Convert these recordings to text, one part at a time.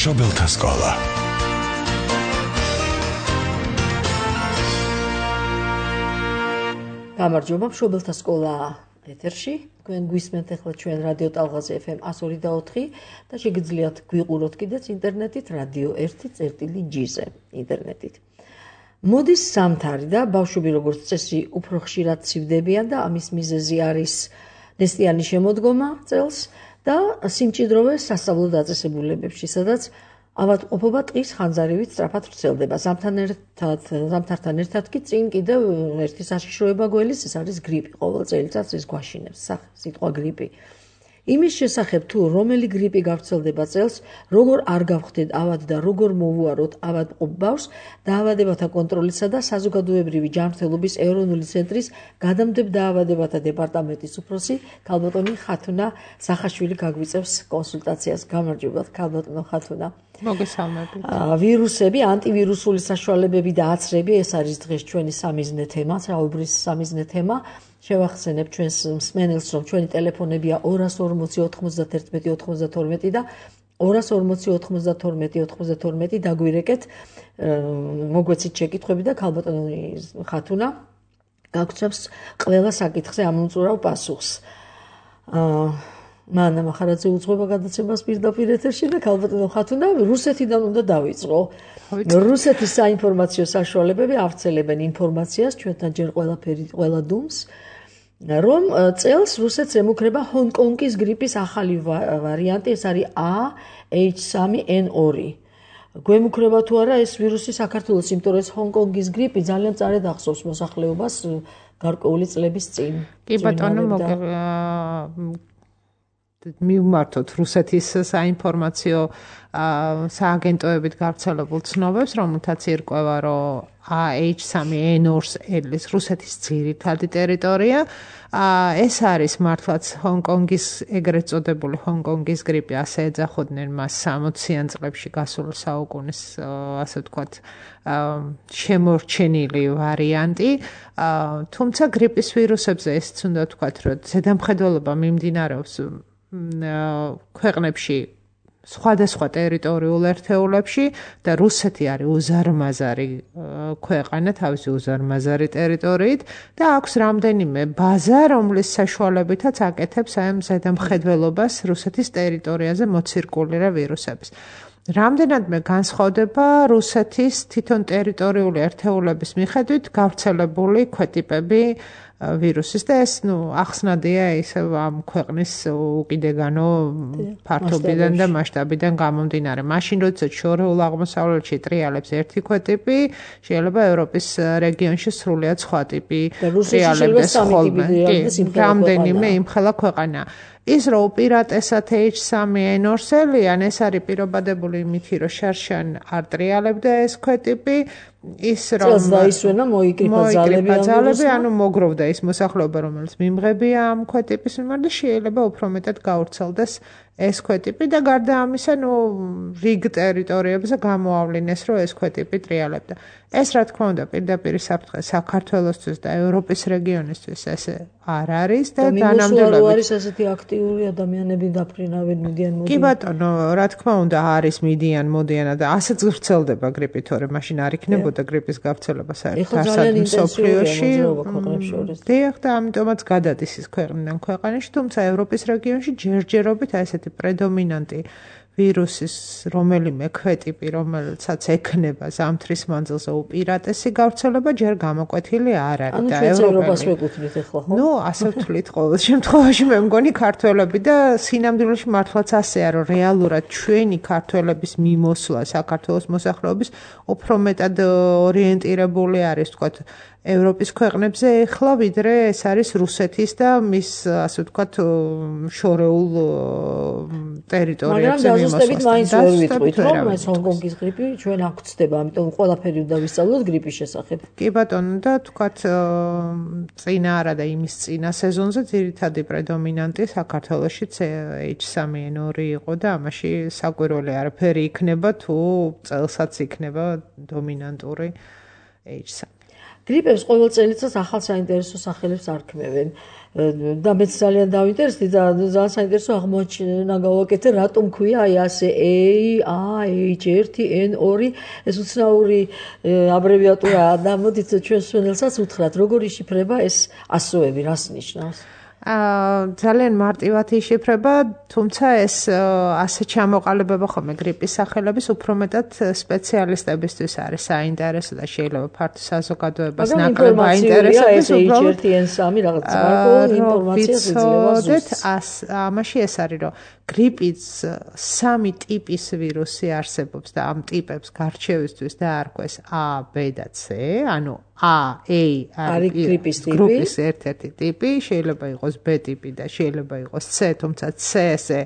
მშობელთა სკოლა. გამარჯობა, მშობელთა სკოლა ეთერში. თქვენ გვისმენთ ახლა ჩვენ რადიო ტალღაზე FM 102.4 და შეგიძლიათ გვიყუროთ კიდეც ინტერნეტით რადიო 1.g-ზე ინტერნეტით. მოდის სამთარი და ბავშვები როგორც წესი უფრო ხშირად ცივდებიან და ამის მიზეზი არის ნესტიანი შემოდგომა წელს და სიმჭიდროვე სასწავლო დაწესებულებებში, სადაც ავადმყოფობა ტყის ხანძარივით სწრაფად ვრცელდება. ზამთართან ერთად კი წინ კიდევ ერთი საშიშროება გველის, ეს არის გრიპი. ყოველ წელიწადს ეს გვაშინებს სიტყვა გრიპი. იმის შესახებ თუ რომელი გრიპი გავრცელდება წელს, როგორ არ გავხდეთ ავად და როგორ მოვუაროთ ავადმყოფ ბავშვს, დაავადებათა კონტროლისა და საზოგადოებრივი ჯანმრთელობის ეროვნული ცენტრის გადამდებდა დაავადებათა დეპარტამენტის უფროსი ქალბატონი ხათუნა სახაშვილი გაგვიწევს კონსულტაციას. გამარჯობათ ქალბატონო ხათუნა. მოგესალმებით. ვირუსები, ანტივირუსული საშუალებები და აცრები, ეს არის დღეს ჩვენი სამიზნე თემა, საუბრის სამიზნე თემა. შევახსენებ ჩვენს მსმენელს, რომ ჩვენი ტელეფონებია 240 91 92 და 240 92 92 დაგვირეკეთ, მოგვეცით შეკითხვები და ქალბატონი ხათუნა გაგცემს ყველა საკითხზე ამომწურავ პასუხს. მანა მახარაძე უძღვება გადაცემას პირდაპირ ეთერში და ქალბატონო ხათუნა რუსეთიდან უნდა დავიწყო. რუსეთის საინფორმაციო საშუალებები ავრცელებენ ინფორმაციას ჩვენთან ჯერ ყველა დუმს, რომ წელს რუსეთს ემუქრება ჰონკონგის გრიპის ახალი ვარიანტი, ეს არის AH3N2. გვემუქრება თუ არა ეს ვირუსი საქართველოს, იმიტომ რომ ეს ჰონკონგის გრიპი ძალიან წარედ ახსოვს მოსახლეობას გარკვეული წლების წინ. კი ბატონო, მივმართოთ რუსეთის საინფორმაციო სააგენტოებით გავრცელებულ ცნობებს, რომელთაც ირკვევა, რომ AH3N2-ის რუსეთის ძირითადი ტერიტორია. ეს არის მართლაც ჰონკონგის, ეგრეთ წოდებული ჰონკონგის გრიპი, ასე ეძახოდნენ მას 60-იან წლებში გასულ საუკუნის, ასე ვთქვათ, შემორჩენილი ვარიანტი. თუმცა გრიპის ვირუსებზე ესეც უნდა ვთქვათ, რომ ზედამხედველობა მიმდინარეობს ქვეყნებში სხვადასხვა ტერიტორიულ ერთეულებში და რუსეთი არის უზარმაზარი ქვეყანა თავისი უზარმაზარი ტერიტორიით და აქვს რამდენიმე ბაზა, რომლის საშუალებითაც აკეთებს ამ ზედამხედველობას რუსეთის ტერიტორიაზე მოცირკულირე ვირუსების. რამდენადმე განსხვავდება რუსეთის თვითონ ტერიტორიული ერთეულების მიხედვით გავრცელებული ქვეტიპები ვირუსის და ეს ახსნადია ისე ამ ქვეყნის უკიდეგანო ფართობიდან და მასშტაბიდან გამომდინარე. მაშინ როდესაც შორეულ აღმოსავლეთში ტრიალებს ერთი ქვეტიპი, შეიძლება ევროპის რეგიონში სრულიად სხვა ტიპი ტრიალებდეს ხოლმე. რამდენიმე იმხელა ქვეყანა. ის რომ უპირატესად H3N2-ელიან, ეს არის პირობადებული იმითი, რომ შარშან არ ტრიალებდა ეს ქვეტიპი, ის რომ წელს დაისვენა მოიკრიფა ძალები, ანუ მოგროვდა ის მოსახლეობა, რომელიც მიმღებია ამ ქვეტიპის მიმართ და შეიძლება უფრო მეტად გავრცელდეს ეს ქვეტიპი და გარდა ამისა, რიგ ტერიტორიებზე გამოავლინეს, რომ ეს ქვეტიპი ტრიალებდა. ეს რა თქმა უნდა პირდაპირ საფრთხე საქართველოსთვის და ევროპის რეგიონისთვის ესე არ არის და დანამდვილებით არის ასეთი აქტიური ადამიანები დაფრინავენ, მიდიან მოდიან. კი ბატონო, რა თქმა უნდა არის მიდიან მოდიან და ასეც ვრცელდება გრიპი, თორემ მაშინ არ იქნებოდა გრიპის გავრცელება საერთოდ მსოფლიოში. დიახ, და ამიტომაც გადადის ის ქვეყნიდან ქვეყანაში, თუმცა ევროპის რეგიონში ჯერჯერობით ასეთი პრედომინანტი ვირუსის რომელიმე ქვეტიპი, რომელსაც ექნება ზამთრის მანძილზე უპირატესი გავრცელება ჯერ გამოკვეთილი არ არის და ევროპას ვეკუთვნით ახლა, ხო? ასე ვთვლით ყოველ შემთხვევაში, მე მგონი ქართველები და სინამდვილეში მართლაც ასეა, რომ რეალურად ჩვენი ქართველების მიმოსვლა საქართველოს მოსახლეობის უფრო მეტად ორიენტირებული არის, ვთქვათ, ევროპის ქვეყნებზე ეხლა, ვიდრე ეს არის რუსეთის და მის, ასე ვთქვათ, შორეულ ტერიტორიებზე მიმოსვლა. მაგრამ დაზუსტებით მაინც ვერ ვიტყვით, რომ ეს ჰონკონგის გრიპი ჩვენ აქ გვწდება, ამიტომ ყველაფერი უნდა ვისწავლოთ გრიპის შესახებ. კი ბატონო, და ვთქვათ, წინა არა და იმის წინა სეზონზე ძირითადი პრედომინანტი საქართველოში H3N2 იყო და ამაში საკვირველი არაფერი იქნება თუ წელსაც იქნება დომინანტური H3. გრიპებს ყოველ წელიწადს ახალ საინტერესო სახელებს არქმევენ. და მეც ძალიან დავინტერესდი და ძალიან საინტერესო აღმოჩენა გავაკეთე, რატომ ქვია აი ასე AH1N2 ეს უცნაური აბრევიატურაა და მოდით ჩვენ სვენელსაც უთხრათ, როგორ იშიფრება ეს ასოები, რას ნიშნავს? ძალიან მარტივად იშიფრება, თუმცა ეს ასე ჩამოყალიბება ხოლმე გრიპის სახელების უფრო მეტად სპეციალისტებისთვის არის საინტერესო და შეიძლება ფართო საზოგადოებას ნაკლებ აინტერესებს უბრალოდ AH1N3 რაღაც გარკვეული ინფორმაცია შეიძლება ზუსტ. ამაში ეს არის, რომ გრიპის 3 ტიპის ვირუსი არსებობს და ამ ტიპებს გარჩევისთვის დაარქვეს A, B და C, ანუ A არის გრიპის ერთ-ერთი ტიპი, შეიძლება იყოს B ტიპი და შეიძლება იყოს C, თუმცა C-ზე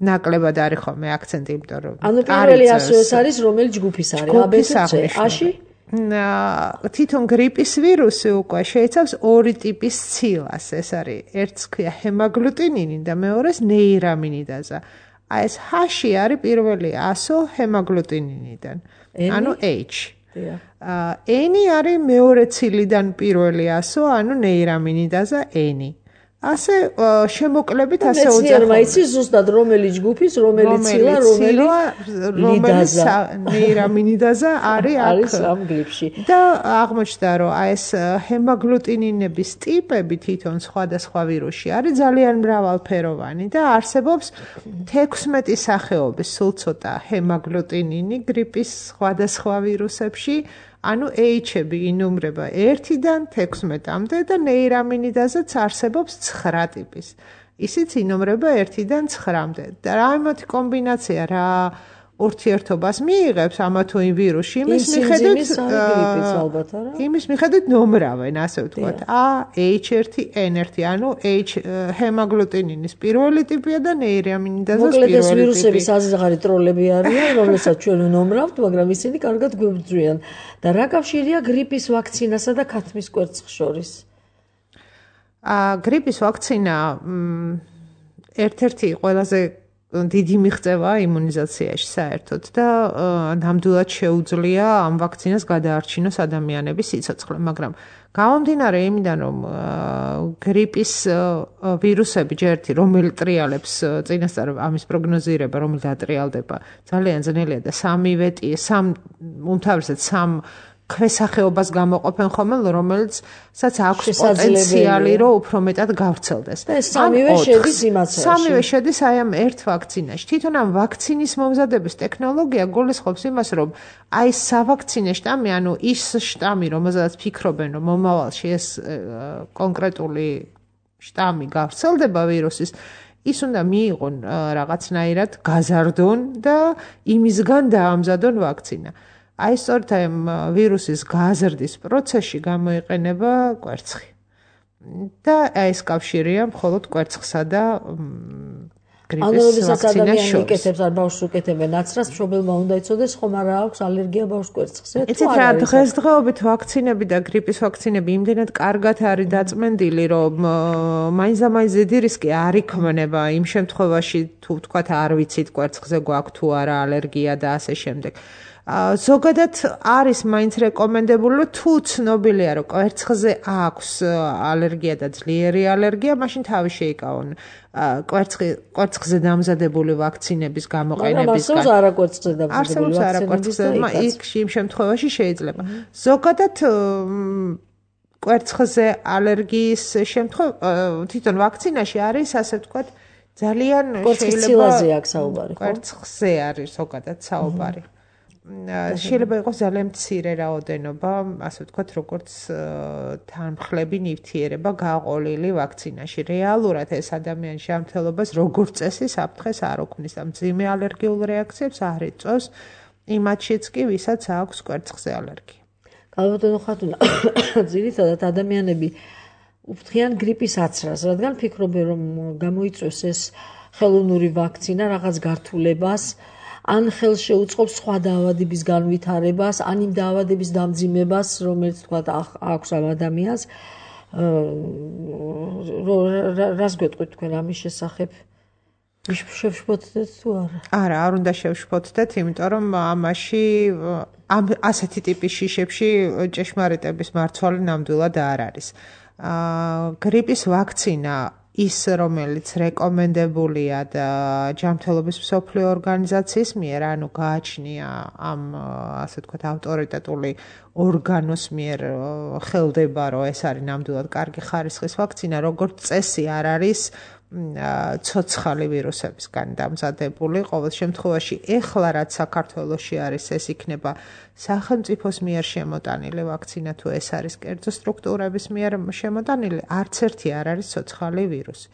ნაკლებად არის ხოლმე აქცენტი, იმიტომ რომ ანუ პირველი ასოეს არის, რომელიც ჯგუფის არის, A, B და C. A-ში თვითონ გრიპის ვირუსი უკვე შეიცავს 2 ტიპის ცილას, ეს არის ერთს ქვია ჰემაგლუტინინი და მეორეს ნეირამინიდაზა. აი ეს H-ში არის პირველი ასო ჰემაგლუტინინიდან, ანუ H. N არის მეორე ცილიდან პირველი ასო, ანუ ნეირამინიდაზა N. ასე შემოკლებით ასე უძახო. მეცნიერმა იცის ზუსტად რომელი ჯგუფის, რომელი ცილა, რომელი ნეირამინიდაზა არის ამ გრიპში. და აღმოჩნდა, რომ აი ეს ჰემაგლუტინინების ტიპები თვითონ სხვადასხვა ვირუსში არის ძალიან მრავალფეროვანი და არსებობს 16 სახეობის სულ ცოტა ჰემაგლუტინინი გრიპის სხვადასხვა ვირუსებში. ანუ H-ები ინუმრება 1-დან 16-მდე და ნეირამინიდაზაც არსებობს 9 ტიპის. ისიც ინუმრება 1-დან 9-მდე. და რა ამათი კომბინაცია რა ურთიერთობას მიიღებს ამა თუ იმ ვირუსში, იმის მიხედვით ნომრავენ, ასე ვთქვათ. A, H1, N1, ანუ H ჰემაგლუტინინის პირველი ტიპია და ნეირამინიდაზას პირველი ტიპი. მოკლედ ეს ვირუსები საზღარი ტროლები არიან, რომლებსაც ჩვენ ვნომრავთ, მაგრამ ისინი კარგად გვებრძვიან. და რა კავშირია გრიპის ვაქცინასა და ქათმის კვერცხს შორის? გრიპის ვაქცინა ერთ-ერთი ყველაზე დიდი მიღწევა იმუნიზაციაში საერთოდ და ნამდვილად შეუძლია ამ ვაქცინას გადაარჩინოს ადამიანების სიცოცხლე, მაგრამ გამომდინარე იმიდან, რომ გრიპის ვირუსები ჯერთი რომელი ტრიალებს წინასწარ ამის პროგნოზირება, რომელი დატრიალდება, ძალიან ძნელია და უმთავრესად 3 ქვესახეობას გამოყოფენ ხოლმე, რომელსაც აქვს პოტენციალი, რომ უფრო მეტად გავრცელდეს. და ეს სამივე შედის იმაციაში. სამივე შედის აი ამ ერთ ვაქცინაში. თვითონ ამ ვაქცინის მომზადების ტექნოლოგია გულისხმობს იმას, რომ აი სავაქცინე შტამი, ანუ ის შტამი, რომელზედაც ფიქრობენ, რომ მომავალში ეს კონკრეტული შტამი გავრცელდება ვირუსის, ის უნდა მიიღონ რაღაცნაირად გაზარდონ და იმისგან დაამზადონ ვაქცინა. აი სწორედ ამ ვირუსის გაზრდის პროცესში გამოიყენება კვერცხი. და აი ეს კავშირია მხოლოდ კვერცხსა და გრიპის ვაქცინას შორის. იკეთებს არ ბავშვს უკეთებენ აცრას, მშობელმა უნდა იცოდეს, ხომ არა აქვს ალერგია ბავშვს კვერცხზე. იცით რა, დღესდღეობით ვაქცინები და გრიპის ვაქცინები იმდენად კარგად არის დაწმენდილი, რომ მაინც დიდი რისკი არ იქმნება იმ შემთხვევაში, თუ ვთქვათ არ ვიცით კვერცხზე გვაქვს თუ არა ალერგია და ასე შემდეგ. ზოგადად არის მაინც რეკომენდებული, რომ თუ ცნობილია, რომ კვერცხზე აქვს ალერგია და ძლიერი ალერგია, მაშინ თავი შეიკავონ კვერცხზე დამზადებული ვაქცინების გამოყენებისგან. არსებობს არაკვერცხზე დამზადებული ვაქცინები, იქ იმ შემთხვევაში შეიძლება. ზოგადად კვერცხზე ალერგიის თვითონ ვაქცინაში არის, ასე ვთქვათ, ძალიან შეიძლება აქვს საუბარი. კვერცხზე არის ზოგადად საუბარი. შეიძლება იყოს ძალიან მცირე რაოდენობა, ასე ვთქვათ, როგორც თანმხლები ნივთიერება გაყოლილი ვაქცინაში. რეალურად ეს ადამიანის ჯანმრთელობას როგორც წესი საფრთხეს არ ოქმნის და მძიმე ალერგიულ რეაქციებს არ იწვევს იმათშიც კი, ვისაც აქვს კვერცხზე ალერგია. გალბატონო ხათუნა, ძირითადად ადამიანები უფრთხიან გრიპის აცრას, რადგან ფიქრობენ, რომ გამოიწვევს ეს ხელოვნური ვაქცინა რაღაც გართულებას, ან ხელს შეუწყობს სხვა დაავადების განვითარებას, ან იმ დაავადების დამძიმებას, რომელიც თქვა აქვს ამ ადამიანს. რას გვეტყვით თქვენ ამის შესახებ? შევშფოთდეთ თუ არა, არ უნდა შევშფოთდეთ, იმიტომ რომ ამაში ასეთი ტიპის შიშებში ჭეშმარიტების მარცვალი ნამდვილად არ არის. გრიპის ვაქცინა ის, რომელიც რეკომენდებულია და ჯანმრთელობის მსოფლიო ორგანიზაციის მიერ, ანუ გააჩნია ამ ასე ვთქვათ ავტორიტეტული ორგანოს მიერ ხელდება, რომ ეს არის ნამდვილად კარგი ხარისხის ვაქცინა, როგორც წესი არ არის ცოცხალი ვირუსებისგან დამზადებული. ყოველ შემთხვევაში ეხლა რაც საქართველოში არის, ეს იქნება სახელმწიფოს მიერ შემოტანილი ვაქცინა, თუ ეს არის კერძო სტრუქტურების მიერ შემოტანილი, არც ერთი არ არის ცოცხალი ვირუსი.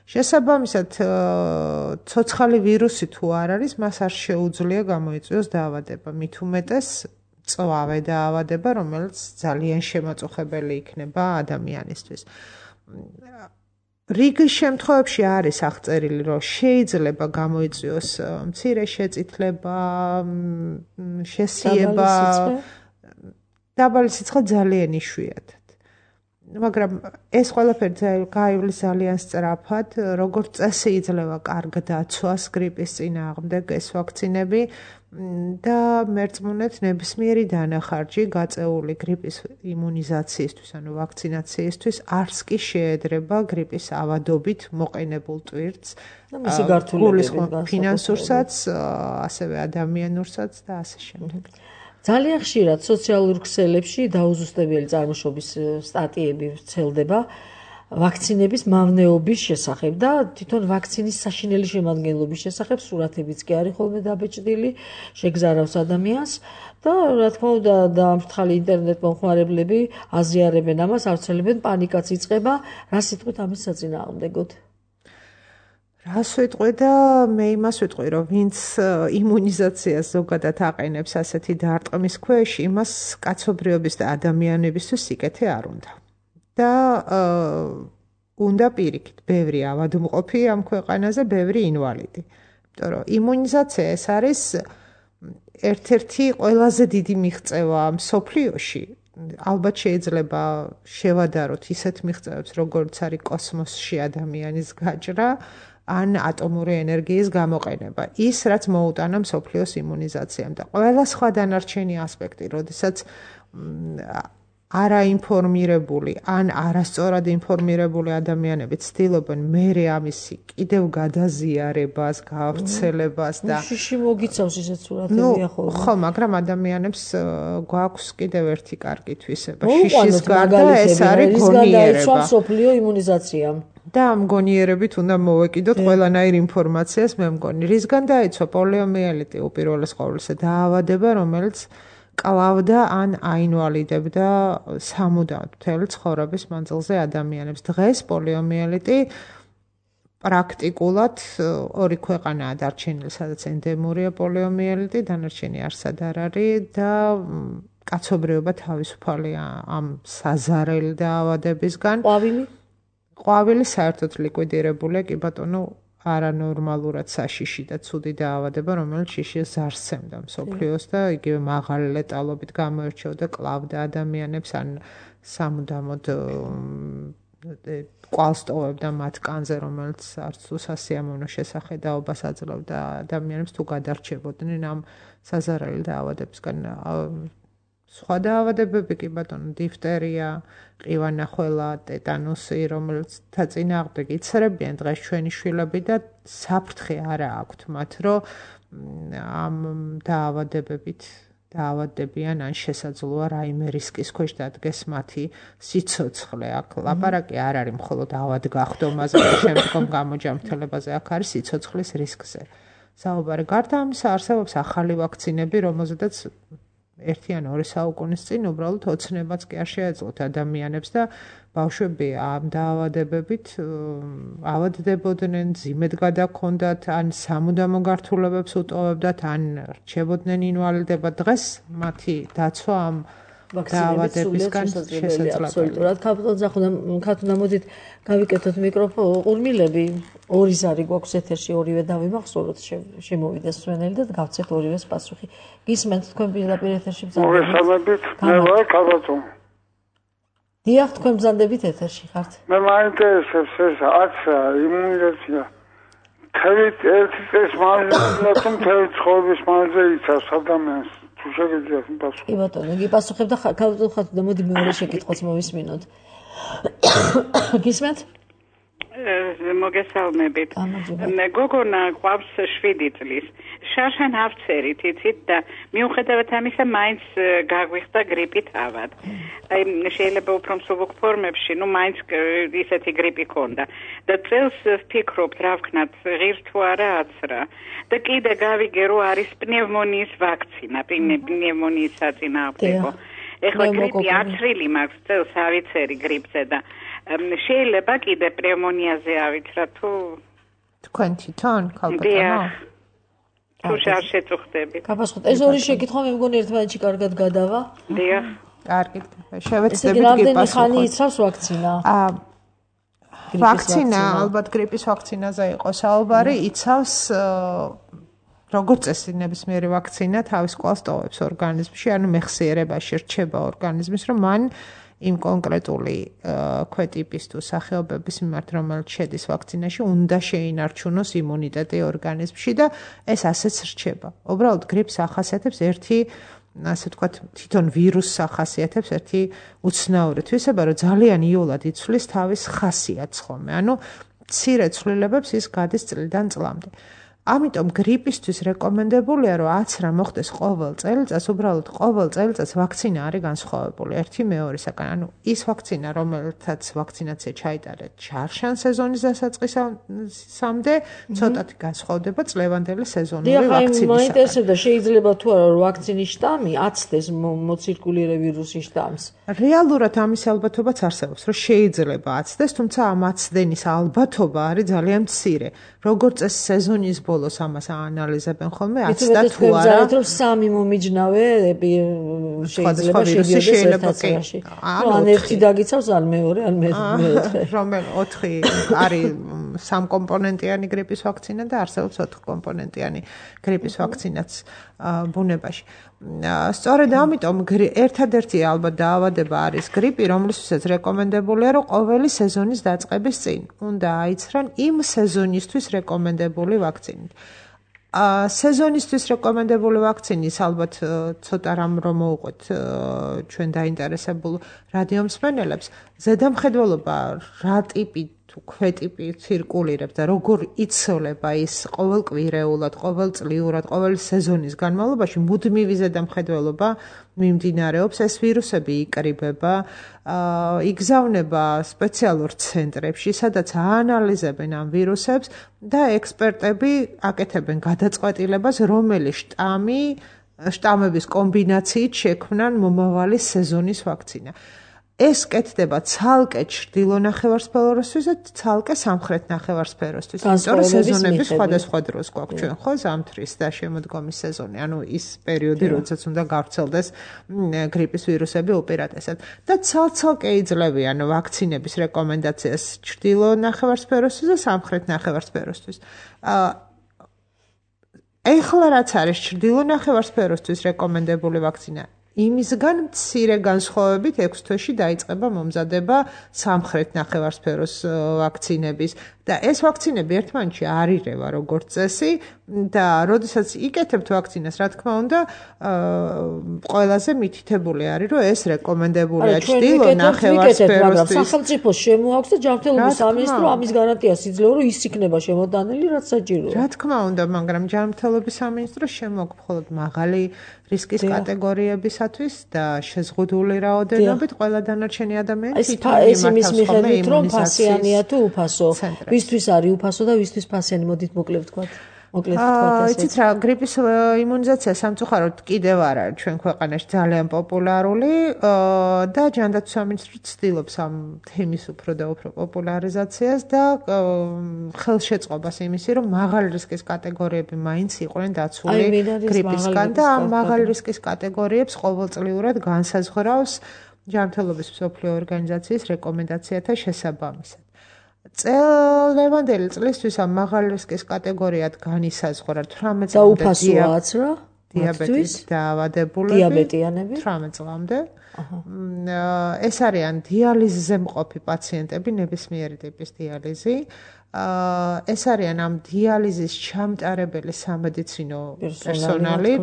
შესაბამისად, ცოცხალი ვირუსი თუ არ არის, მას არ შეუძლია გამოიწვიოს დაავადება, მით უმეტეს წვავე დაავადება, რომელიც ძალიან შემაწუხებელი იქნება ადამიანისთვის. რიგ შემთხვევებში არის აღწერილი, რომ შეიძლება გამოიწვიოს მცირე შეწითლება, შესიება, დაბალი სიცხე ძალიან იშვიათად. მაგრამ ეს ყველაფერი გაივლის ძალიან სწრაფად, როგორც წესი იძლევა კარგ დაცვას გრიპის წინააღმდეგ ეს ვაქცინები და მერწმუნეთ ნებისმიერი დანახარჯი გაწეული გრიპის იმუნიზაციისთვის, ანუ ვაქცინაციისთვის არც კი შეედრება გრიპის ავადობით მოყენებულ ტვირთს, გულისხმობ ფინანსურსაც, ასევე ადამიანურსაც და ასე შემდეგ. ძალიან ხშირად სოციალურ ქსელებში დაუზუსტებელი წარმოშობის სტატიები ვრცელდება ვაქცინების მავნეობის შესახებ და თვითონ ვაქცინის საშინელი შემადგენლობის შესახებ სურათებიც კი არის ხოლმე დაბეჭდილი, შეგზარავს ადამიანს და რა თქმა უნდა დაამრთხალი ინტერნეტ მომხმარებლები აზიარებენ ამას, ავრცელებენ, პანიკაც იწყება. რა სიტყვით ამის საწინააღმდეგოდ? რას ვიტყვი და მე იმას ვიტყვი, რომ ვინც იმუნიზაციას ზოგადად აყენებს ასეთი დარტყმის ქვეშ, იმას კაცობრიობის და ადამიანებისთვის სიკეთე არ უნდა. და უნდა პირიქით, ბევრი ავადმყოფი ამ ქვეყანაზე, ბევრი ინვალიდი. იმიტომ რომ იმუნიზაცია ეს არის ერთ-ერთი ყველაზე დიდი მიღწევა მსოფლიოში. ალბათ შეიძლება შევადაროთ ისეთ მიღწევებს, როგორც არის კოსმოსში ადამიანის გაჭრა, ან ატომური ენერგიის გამოყენება. ის, რაც მოუტანა მსოფლიოს იმუნიზაციამ და ყველა სხვა დანარჩენი ასპექტი, როდესაც არაინფორმირებული ან არასწორად ინფორმირებული ადამიანები ცდილობენ მერე ამისი კიდევ გადაზიარებას, გავრცელებას და შიში მოგიცავს ისეთ სურათებია ხოლმე. ხო, მაგრამ ადამიანებს გვაქვს კიდევ ერთი კარგი თვისება. შიშის გარდა ეს არის გონიერება. მსოფლიო იმუნიზაციამ. და ამ გონიერებით უნდა მოვეკიდოთ ყველანაირ ინფორმაციას, მე მგონი. რისგან დაიცვა პოლიომიელიტი უპირველეს ყოვლისა დაავადება, რომელიც კლავდა ან აინვალიდებდა სამუდამოდ მთელი ცხოვრების მანძილზე ადამიანებს. დღეს პოლიომიელიტი პრაქტიკულად ორი ქვეყანაა დარჩენილი, სადაც ენდემურია პოლიომიელიტი, დანარჩენი არსად არ არის და კაცობრიობა თავისუფალია ამ საზარელი დაავადებისგან. ყვავილი საერთოდ ლიკვიდირებულია, კი ბატონო, არანორმალურად საშიში და ცუდი დაავადება, რომელიც შიშის ზარსცემდა მსოფლიოს და იგივე მაღალი ლეტალობით გამოირჩეოდა, კლავდა ადამიანებს, ან სამუდამოდ კვალს ტოვებდა მათ კანზე, რომელიც არც თუ სასიამოვნო შესახედაობას აძლევდა ადამიანებს, თუ გადარჩებოდნენ ამ საზარელი დაავადებისგან. სხვა დაავადებები კი ბატონო, დიფტერია, ყივანახველა, ტეტანუსი, რომელიც წინააღმდეგ იცრებიან დღეს ჩვენი შვილები და საფრთხე არა აქვთ მათ, რომ ამ დაავადებებით დაავადდებიან ან შესაძლოა რაიმე რისკის ქვეშ დადგეს მათი სიცოცხლე. აქ ლაპარაკი არ არის მხოლოდ ავადგახდომაზე და შემდგომ გამოჯანმრთელებაზე, აქ არის სიცოცხლის რისკზე. საუბარი გარდა ამისა არსებობს ახალი ვაქცინები, რომელზედაც 1 ან 2 საუკუნის წინ უბრალოდ ოცნებაც კი არ შეეძლოთ ადამიანებს და ბავშვები ამ დაავადებებით ავადდებოდნენ, ძიმედ გადაქონდათ, ან სამუდამო გართულებებს უტოვებდათ, ან რჩებოდნენ ინვალიდება. დღეს მათი დაცვა ამ დაავადებისგან შესაძლებელია. ქათუნა, მოდით გავიკეთოთ ყურმილები. ორი ზარი გვაქვს ეთერში, ორივე დავიმახსოვროთ, შემოვიდეს სვენელი და გავცეთ ორივეს პასუხი. გისმენთ თქვენ პირდაპირ ეთერში ბრძანებით? მოგესალმებით, მე ვარ ქალბატონი. დიახ, თქვენ ბრძანდებით ეთერში ხართ? მე მაინტერესებს ეს აქცია, იმუნიზაცია. თევით ერთი წელს მანძილზე თუ თევით ცხოვრების მანძილზე იცავს ადამიანს თუ შეგიძლიათ პასუხი. კი ბატონო, იგი პასუხებდა ქალბატონ ხათუნა, მოდი მეორე შეკითხვაც მოვისმინოთ. გისმენთ? მოგესალმებით. გოგონა გვაქვს 7 წლის. შარშან ავწერით, იცით და მიუხედავად ამისა მაინც გაგვიხდა გრიპით ავად. აი შეიძლება უფრო მსუბუქ ფორმებში, მაინც ისეთი გრიპი ქონდა. და წელს ვფიქრობთ, რა ვქნათ, ღირს თუ არა აცრა. და კიდე გავიგე, რომ არის პნევმონიის ვაქცინა, პნევმონიის საწინააღმდეგო. ეხლა გრიპი აცრილი მაქვს წელს ავიცერი გრიპზე და შეიძლება კიდე პნევმონიაზე ავიცრა თუ თქვენ თვითონ ქალბატონო? თუ შეწუხდებით. გაფასხოთ. ეს ორი შეკითხვა მე მგონი ერთმანეთში კარგად გადავა. დიახ. კარგი. შევეცდებით გიპასუხოთ. გიპასუხოთ. ხანი იცავს ვაქცინა? ვაქცინა, ალბათ გრიპის ვაქცინაზე იყო საუბარი, იცავს როგორც წესი ნებისმიერი ვაქცინა თავის კვალს ტოვებს ორგანიზმში, ანუ მეხსიერებაში რჩება ორგანიზმის, რომ მან იმ კონკრეტული ქვეტიპის თუ სახეობების მიმართ, რომელიც შედის ვაქცინაში, უნდა შეინარჩუნოს იმუნიტეტი ორგანიზმში და ეს ასეც რჩება. უბრალოდ გრიპს ახასიათებს ერთი, ასე ვთქვათ, თვითონ ვირუსს ახასიათებს ერთი უცნაური თვისება, რომ ძალიან იოლად იცვლის თავის ხასიათს ხოლმე. ანუ მცირე ცვლილებებს ის გადის წლიდან წლამდე. ამიტომ გრიპისთვის რეკომენდებულია, რომ აცრა მოხდეს ყოველ წელიწადს, უბრალოდ ყოველ წელიწადს ვაქცინა არის განსხვავებული ერთი მეორისაგან. ანუ ის ვაქცინა, რომელთაც ვაქცინაცია ჩაიტარეთ შარშან სეზონის დასაწყისამდე, ცოტათი განსხვავდება წლევანდელი სეზონური ვაქცინისაგან. მაინტერესებდა, შეიძლება თუ არა რომ ვაქცინის შტამი აცდეს მოცირკულირე ვირუსის შტამს. რეალურად ამის ალბათობაც არსებობს, რომ შეიძლება აცდეს, თუმცა ამ აცდენის ალბათობა არის ძალიან მცირე. როგორც წესი სეზონის ბოლოს ამას აანალიზებენ ხოლმე, აცდა თუ არა. რომ სამი მომიჯნავე შეიძლება შედიოდეს ერთაცაში. ან ერთი დაგიცავს, ან მეორე, ან მეოთხე. რომელ 4 არის სამკომპონენტიანი გრიპის ვაქცინა და არსებობს 4 კომპონენტიანი გრიპის ვაქცინაც ბუნებაში. სწორედ ამიტომ ერთადერთი ალბათ დაავადება არის გრიპი, რომლისთვისაც რეკომენდებულია, რომ ყოველი სეზონის დაწყების წინ უნდა აიცრან იმ სეზონისთვის რეკომენდებული ვაქცინით. სეზონისთვის რეკომენდებული ვაქცინის ალბათ ცოტა რამ რომ მოვუყვეთ ჩვენ დაინტერესებულ რადიომსმენელებს, ზედამხედველობა რა ტიპი თუ ქვეტიპი ცირკულირებს და როგორ იცვლება ის ყოველკვირეულად, ყოველწლიურად, ყოველი სეზონის განმავლობაში მუდმივი ზედამხედველობა მიმდინარეობს, ეს ვირუსები იკრიბება, იგზავნება სპეციალურ ცენტრებში, სადაც აანალიზებენ ამ ვირუსებს და ექსპერტები აკეთებენ გადაწყვეტილებას, რომელი შტამების კომბინაციით შექმნან მომავალი სეზონის ვაქცინა. ეს კეთდება ცალკე ჩრდილო ნახევარსფეროსთვის და ცალკე სამხრეთ ნახევარსფეროსთვის. იმიტომ რომ სეზონები სხვადასხვა დროს გვაქვს ჩვენ ხო ზამთრის და შემოდგომის სეზონი, ანუ ის პერიოდი, როდესაც უნდა გავრცელდეს გრიპის ვირუსები უპირატესად. და ცალ-ცალკე იძლევიან ვაქცინების რეკომენდაციას ჩრდილო ნახევარსფეროსთვის და სამხრეთ ნახევარსფეროსთვის. ეხლა რაც არის ჩრდილო ნახევარსფეროსთვის რეკომენდებული ვაქცინა, იმისგან მცირე განსხვავებით 6 თვეში დაიწყება მომზადება სამხრეთ ნახევარსფეროს ვაქცინების და ეს ვაქცინები ერთმანეთში არ ირევა როგორც წესი და როდესაც იკეთებთ ვაქცინას, რა თქმა უნდა, ყველაზე მითითებული არის, რომ ეს რეკომენდებულია ჩრდილო ნახევარსფეროსთვის. სახელმწიფოს შემოაქვს და ჯანმრთელობის სამინისტრო ამის გარანტიას იძლევა, რომ ის იქნება შემოდანილი, რაც საჭიროა. რა თქმა უნდა, მაგრამ ჯანმრთელობის სამინისტრო შემოაქვს მხოლოდ მაღალი რისკის კატეგორიებისათვის და შეზღუდული რაოდენობით ყველა დანარჩენი ადამიანი ის იმის მიხედვით, რომ ფასიანია თუ უფასო. ვისთვის არის უფასო და ვისთვის ფასიანი, მოდით მოკლედ ვთქვათ. იცით რა, გრიპის იმუნიზაცია სამწუხაროდ კიდევ არ არის ჩვენ ქვეყანაში ძალიან პოპულარული და ჯანდაცვის სამინისტრო ცდილობს ამ თემის უფრო და უფრო პოპულარიზაციას და ხელშეწყობას იმისი, რომ მაღალი რისკის კატეგორიები მაინც იყვნენ დაცული გრიპისგან და ამ მაღალი რისკის კატეგორიებს ყოველწლიურად განსაზღვრავს ჯანმრთელობის მსოფლიო ორგანიზაციის რეკომენდაციათა შესაბამისად. ლევანდელი წლისთვის ამ მაღალი რისკის კატეგორიად განისაზღვრა 18 და უფასოა აცრა? დიაბეტის დაავადებულები, დიაბეტიანები 18 წლამდე. ეს არიან დიალიზზე მყოფი პაციენტები, ნებისმიერი ტიპის დიალიზი. ეს არიან ამ დიალიზის ჩამტარებელი სამედიცინო პერსონალი.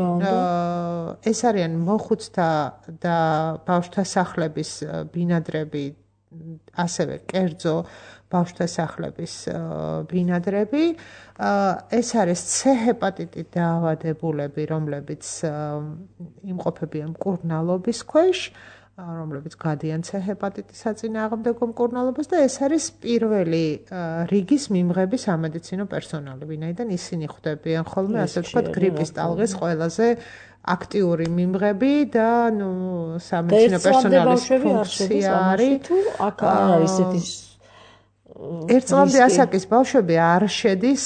ეს არიან მოხუცთა და ბავშვთა სახლების ბინადრები, ასევე კერძო ბავშვთა სახლების ბინადრები. ეს არის C ჰეპატიტით დაავადებულები, რომლებიც იმყოფებიან მკურნალობის ქვეშ, რომლებიც გადიან C ჰეპატიტის საწინააღმდეგო მკურნალობას და ეს არის პირველი რიგის მიმღები სამედიცინო პერსონალი, ვინაიდან ისინი ხვდებიან ხოლმე, ასე ვთქვათ, გრიპის ტალღის ყველაზე აქტიური მიმღები და სამედიცინო პერსონალის ფუნქცია არის თუ აქ არ არის ესეთი ერთწლამდე ასაკის ბავშვები არ შედის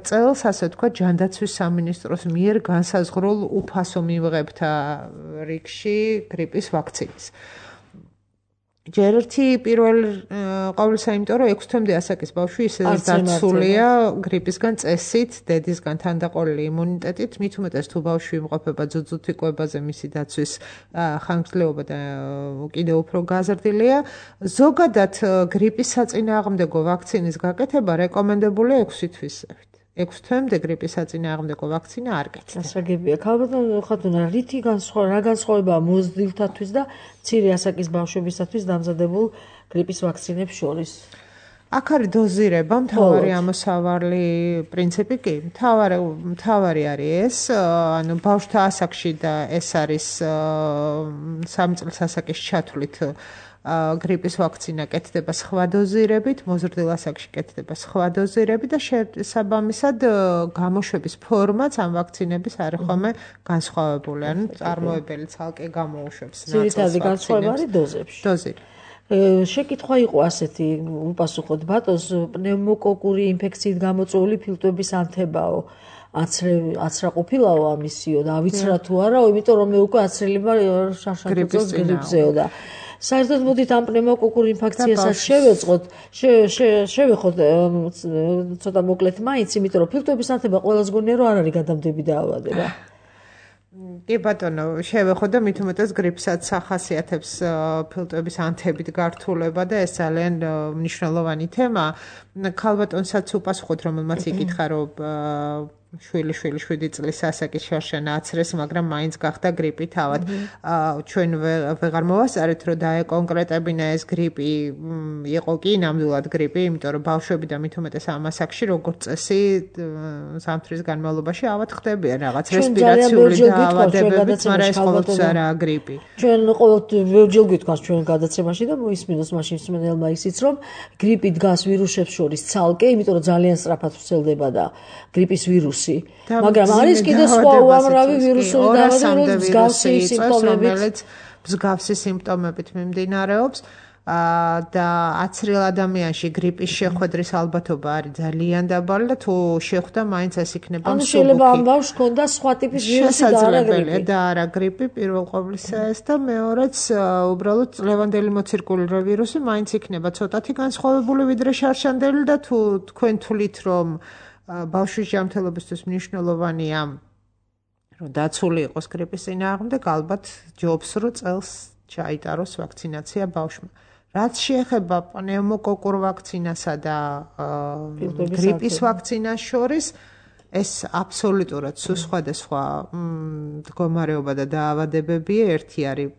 წელს, ასე ვთქვათ, ჯანდაცვის სამინისტროს მიერ განსაზღვრულ უფასო მიმღებთა რიგში გრიპის ვაქცინის. ჯერ ერთი პირველ ყოვლისა, იმიტომ რომ 6 თვემდე ასაკის ბავშვი ისედაც დაცულია გრიპისგან წესით, დედისგან თანდაყოლილი იმუნიტეტით, მით უმეტეს თუ ბავშვი იმყოფება ძუძუთი კვებაზე, მისი დაცვის ხანგრძლივობა და კიდევ უფრო გაზრდილია. ზოგადად გრიპის საწინააღმდეგო ვაქცინის გაკეთება რეკომენდებულია 6 თვისებით. 6 თვემდე გრიპის საწინააღმდეგო ვაქცინა არ გეცდა. გასაგებია. ქალბატონო ხათუნა, რითი რა განსხვავებაა მოზრდილთათვის და მცირე ასაკის ბავშვებისათვის დამზადებულ გრიპის ვაქცინებს შორის? აქ არის დოზირება, მთავარი ამოსავალი პრინციპი კი. მთავარი არის ეს, ანუ ბავშვთა ასაკში და ეს არის 3 წლის ასაკის ჩათვლით გრიპის ვაქცინა კეთდება სხვა დოზირებით, მოზრდილ ასაკში კეთდება სხვა დოზირებით და შესაბამისად გამოშვების ფორმაც ამ ვაქცინების არის ხოლმე განსხვავებული, ანუ წარმოებელი ცალკე გამოუშვებს ნაწილს. ძირითადი განსხვავება არის დოზებში. დოზირი. შეკითხვა იყო ასეთი, უპასუხოთ ბატონს, პნევმოკოკური ინფექციით გამოწვეული ფილტვების ანთებაო. აცრაყოფილაო ამისიო და ავიცრა თუ არაო, იმიტომ რომ მე უკვე აცრილება შაშანწოს გრიპზეო და საერთოდ მოდით ამ პნევმოკოკურ ინფექციასაც შევეწყოთ, შევეხოთ ცოტა მოკლედ მაინც, იმიტომ რომ ფილტვების ანთება ყველას გონია რომ არ არის გადამდები დაავადება. კი ბატონო, შევეხოთ და მით უმეტეს გრიპსაც ახასიათებს ფილტვების ანთებით გართულება და ეს ძალიან მნიშვნელოვანი თემა. ქალბატონსაც უპასუხოთ, რომელმაც იკითხა, რომ შვილი 7 წლის ასაკის შარშანა აცრეს, მაგრამ მაინც გახდა გრიპი თავად. ჩვენ ვეღარ მოვასწარეთ, რომ დაეკონკრეტებინა ეს გრიპი იყო კი ნამდვილად გრიპი, იმიტომ რომ ბავშვები და მით უმეტეს ამ ასაკში როგორც წესი ზამთრის განმავლობაში ავად ხდებიან რაღაც რესპირაციული დაავადებებით, მაგრამ ეს ყოველთვის არაა გრიპი. ჩვენ ყოველთვის ვერჯერ გითქვას ჩვენ გადაცემაში და მოისმინოს მაშინ მსმენელმა ისიც, რომ გრიპი დგას ვირუსებს შორის ცალკე, იმიტომ რომ ძალიან სწრაფად ვრცელდება და გრიპის ვირუსი მაგრამ არის კიდე სხვა უამრავი ვირუსული დაავადებები, მსგავსი სიმპტომებით მიმდინარეობს და აცრილ ადამიანში გრიპის შეხვედრის ალბათობა არის ძალიან დაბალი და თუ შეხვდა, მაინც ეს იქნება მსუბუქი. ანუ შეიძლება ამ ბავშვს ჰქონდა სხვა ტიპის ვირუსი და არა გრიპი. და არა გრიპი, პირველ ყოვლისა ეს და მეორეც უბრალოდ წლევანდელი მოცირკულირებული ვირუსი მაინც იქნება ცოტათი განსხვავებული ვიდრე შარშანდელი და თუ თქვენ თვლით, რომ ბავშვის ჯანმრთელობისთვის მნიშვნელოვანია, რომ დაცული იყოს გრიპის წინააღმდეგ, ალბათ ჯობს, რომ წელს ჩაიტაროს ვაქცინაცია ბავშვმა. რაც შეეხება პნევმოკოკურ ვაქცინასა და გრიპის ვაქცინას შორის, ეს აბსოლუტურად სხვადასხვა მდგომარეობა და დაავადებებია. ერთი არის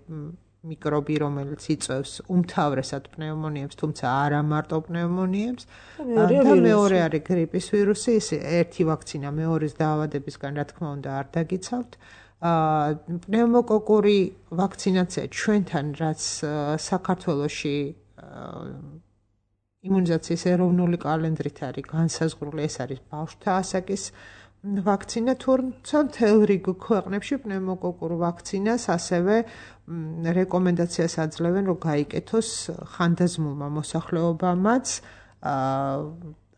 მიკრობი, რომელიც იწვევს უმთავრესად პნევმონიებს, თუმცა არა მარტო პნევმონიებს. და მეორე არის გრიპის ვირუსი, ის ერთი ვაქცინა მეორის დაავადებისგან, რა თქმა უნდა, არ დაგიცავთ. პნევმოკოკური ვაქცინაცია ჩვენთან, რაც საქართველოში იმუნიზაციის ეროვნული კალენდრით არის განსაზღვრული, ეს არის ბავშვთა ასაკის ვაქცინა, თუმცა მთელ რიგ ქვეყნებში პნევმოკოკურ ვაქცინას ასევე რეკომენდაციას აძლევენ, რომ გაიკეთოს ხანდაზმულმა მოსახლეობამაც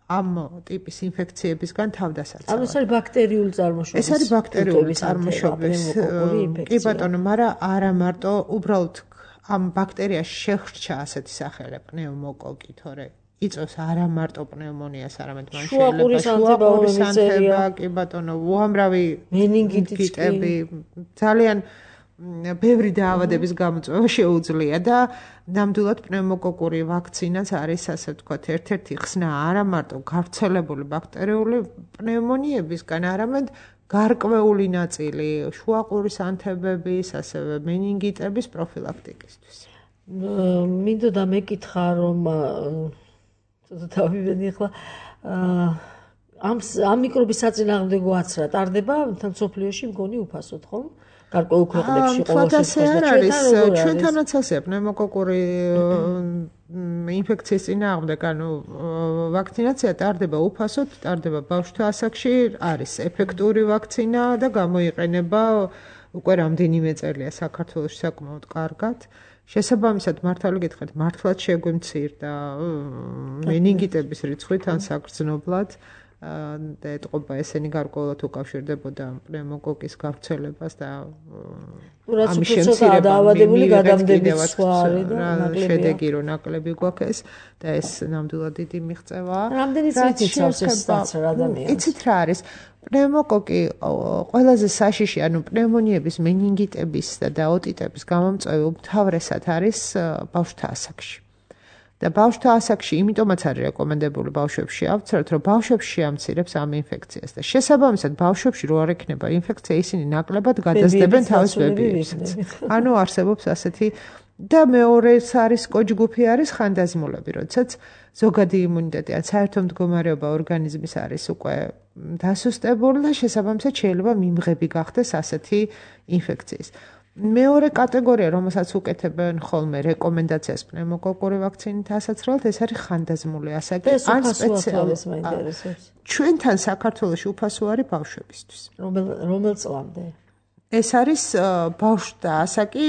ამ ტიპის ინფექციებისგან თავდასაცავად. ანუ ეს არის ბაქტერიული წარმოშობის. ეს არის ბაქტერიული წარმოშობის. კი ბატონო, მაგრამ არა მარტო, უბრალოდ ამ ბაქტერიას შეხრჩა ასეთი სახელი პნევმოკოკი, თორე იწვევს არა მარტო პნევმონიას, არამედ მან შეიძლება შუაყურის ანთება, კი ბატონო, უამრავი მენინგიტები, ძალიან ბევრი დაავადების გამოწვევა შეუძლია და ნამდვილად პნევმოკოკური ვაქცინაც არის, ასე ვთქვათ, ერთ-ერთი ხსნა არა მარტო გავრცელებული ბაქტერიული პნევმონიებისგან, არამედ გარკვეული ნაწილი შუაყურის ანთებების, ასევე მენინგიტების პროფილაქტიკისთვის. მინდოდა მეკითხა, რომ დავივენი ახლა ამ მიკრობის საწინააღმდეგო აცრა ტარდება თან სოფლიოში მგონი უფასოდ, ხო? გარკვეულ ქვეყნებში ყოველ შემთხვევაში ჩვენთანაც ასეა პნევმოკოკური ინფექციის წინააღმდეგ, ანუ ვაქცინაცია ტარდება უფასოდ, ტარდება ბავშვთა ასაკში, არის ეფექტური ვაქცინა და გამოიყენება უკვე რამდენიმე წელია საქართველოში საკმაოდ კარგად. შესაბამისად, მართალი გითხრათ, მართლაც შეგვიმცირდა მენინგიტების რიცხვი თან საგრძნობლად და ეთყობა ესენი გარკვეულად უკავშირდებოდა პნევმოკოკის გავრცელებას და ამის შემცირება დაავადებული გადამდების სხვა არის და შედეგი რო ნაკლები გვაქვს და ეს ნამდვილად დიდი მიღწევაა. რამდენი წლით იცავს ეს დაცრა ადამიანს? იცით რა არის? პნევმოკოკი ყველაზე საშიში, ანუ პნევმონიების, მენინგიტების და ოტიტების გამომწვევი უმთავრესად არის ბავშვთა ასაკში. და ბავშვთა ასაკში იმიტომაც არის რეკომენდებული ბავშვებში ავცრათ, რომ ბავშვებში შეამცირებს ამ ინფექციას და შესაბამისად ბავშვებში რო არ ექნება ინფექცია, ისინი ნაკლებად გადაძდებენ თავის ბებიებსაც. ანუ არსებობს ასეთი და მეორეს არის კოჯგუფი არის ხანდაზმულები, როდესაც ზოგადი იმუნიტეტი ან საერთო მდგომარეობა ორგანიზმის არის უკვე დასუსტებული და შესაბამისად შეიძლება მიმღები გახდეს ასეთი ინფექციის. მეორე კატეგორია, რომელსაც უკეთებენ ხოლმე რეკომენდაციას პნევმოკოკური ვაქცინით ასაცრელად, ეს არის ხანდაზმული ასაკი ან სპეციალისტს მაინტერესებს. ჩვენთან საქართველოში უფასო არის ბავშვებისთვის. რომელ წლამდე? ეს არის ბავშვთა ასაკი